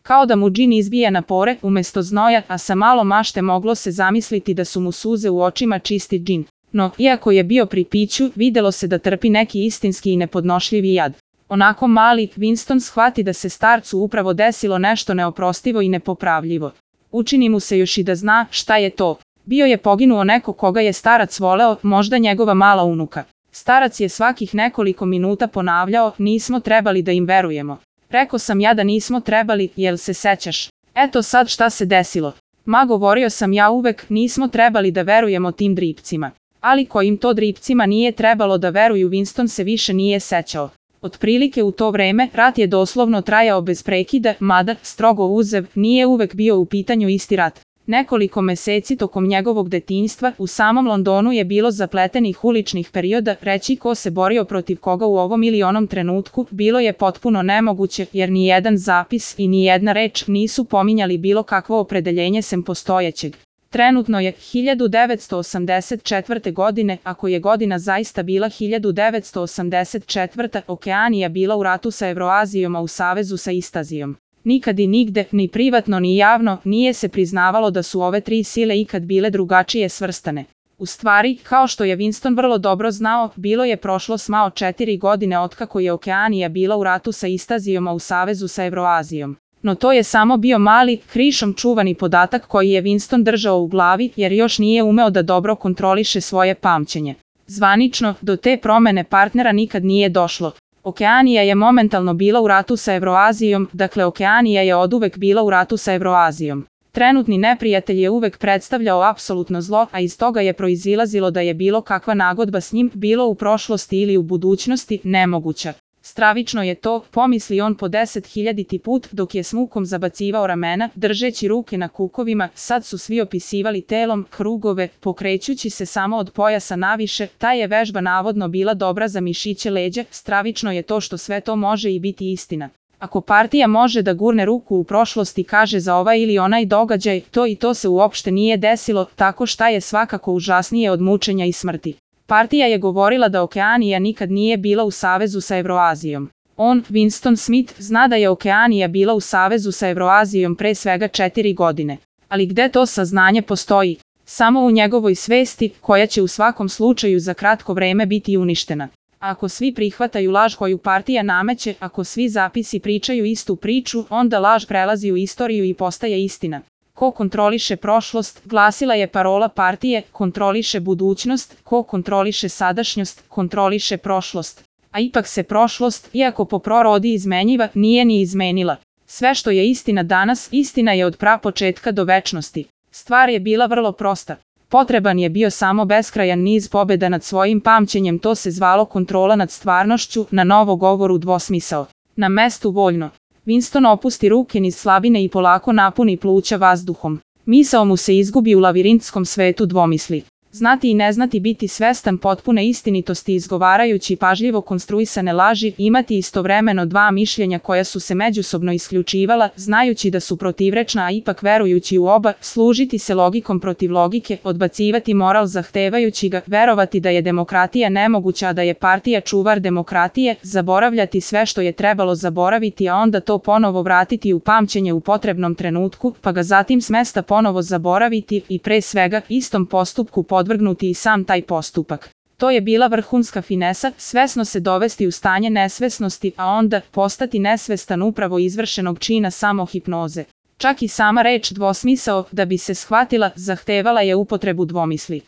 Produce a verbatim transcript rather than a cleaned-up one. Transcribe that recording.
Kao da mu džin izbija na pore umesto znoja, a sa malo mašte moglo se zamisliti da su mu suze u očima čisti džin. No, iako je bio pri piću, videlo se da trpi neki istinski i nepodnošljivi jad. Onako mali, Winston shvati da se starcu upravo desilo nešto neoprostivo i nepopravljivo. Učini mu se još i da zna šta je to. Bio je poginuo neko koga je starac voleo, možda njegova mala unuka. Starac je svakih nekoliko minuta ponavljao, nismo trebali da im verujemo. Rekao sam ja da nismo trebali, jel se sećaš? Eto sad šta se desilo. Ma govorio sam ja uvek, nismo trebali da verujemo tim dripcima. Ali kojim to dripcima nije trebalo da veruju, Winston se više nije sećao. Otprilike u to vreme, rat je doslovno trajao bez prekida, mada, strogo uzev, nije uvek bio u pitanju isti rat. Nekoliko meseci tokom njegovog detinjstva u samom Londonu je bilo zapletenih uličnih perioda, reći ko se borio protiv koga u ovom ili onom trenutku bilo je potpuno nemoguće, jer ni jedan zapis i ni jedna reč nisu pominjali bilo kakvo opredeljenje sem postojećeg. Trenutno je hiljadu devetsto osamdeset četvrte. godine, ako je godina zaista bila hiljadu devetsto osamdeset četvrta. Okeanija bila u ratu sa Evroazijom, a u savezu sa Istazijom. Nikad i nigde, ni privatno ni javno, nije se priznavalo da su ove tri sile ikad bile drugačije svrstane. U stvari, kao što je Winston vrlo dobro znao, bilo je prošlo smao četiri godine otkako je Okeanija bila u ratu sa Istazijom, a u savezu sa Evroazijom. No to je samo bio mali, krišom čuvani podatak koji je Winston držao u glavi, jer još nije umeo da dobro kontroliše svoje pamćenje. Zvanično, do te promene partnera nikad nije došlo. Okeanija je momentalno bila u ratu sa Evroazijom, dakle Okeanija je oduvek bila u ratu sa Evroazijom. Trenutni neprijatelj je uvek predstavljao apsolutno zlo, a iz toga je proizilazilo da je bilo kakva nagodba s njim, bilo u prošlosti ili u budućnosti, nemoguća. Stravično je to, pomisli on po deset hiljaditi put, dok je s mukom zabacivao ramena, držeći ruke na kukovima, sad su svi opisivali telom krugove, pokrećući se samo od pojasa naviše, ta je vežba navodno bila dobra za mišiće leđa, stravično je to što sve to može i biti istina. Ako partija može da gurne ruku u prošlosti, kaže za ovaj ili onaj događaj, to i to se uopšte nije desilo, tako šta je svakako užasnije od mučenja i smrti. Partija je govorila da Okeanija nikad nije bila u savezu sa Evroazijom. On, Winston Smith, zna da je Okeanija bila u savezu sa Evroazijom pre svega četiri godine. Ali gde to saznanje postoji? Samo u njegovoj svesti, koja će u svakom slučaju za kratko vreme biti uništena. Ako svi prihvataju laž koju partija nameće, ako svi zapisi pričaju istu priču, onda laž prelazi u istoriju i postaje istina. Ko kontroliše prošlost, glasila je parola partije, kontroliše budućnost, ko kontroliše sadašnjost, kontroliše prošlost. A ipak se prošlost, iako po prorodi izmenjiva, nije ni izmenila. Sve što je istina danas, istina je od prapočetka do večnosti. Stvar je bila vrlo prosta. Potreban je bio samo beskrajan niz pobjeda nad svojim pamćenjem, to se zvalo kontrola nad stvarnošću, na novo govoru dvosmisao. Na mestu voljno. Winston opusti ruke niz slabine i polako napuni pluća vazduhom. Misao mu se izgubi u lavirintskom svetu dvomisli. Znati i ne znati, biti svestan potpune istinitosti izgovarajući pažljivo konstruisane laži, imati istovremeno dva mišljenja koja su se međusobno isključivala, znajući da su protivrečna a ipak verujući u oba, služiti se logikom protiv logike, odbacivati moral zahtevajući ga, verovati da je demokratija nemoguća a da je partija čuvar demokratije, zaboravljati sve što je trebalo zaboraviti a onda to ponovo vratiti u pamćenje u potrebnom trenutku, pa ga zatim s mesta ponovo zaboraviti i pre svega istom postupku podvrgnuti i sam taj postupak. To je bila vrhunska finesa, svesno se dovesti u stanje nesvesnosti, a onda postati nesvestan upravo izvršenog čina samohipnoze. Čak i sama reč dvosmisao, da bi se shvatila, zahtevala je upotrebu dvomisli.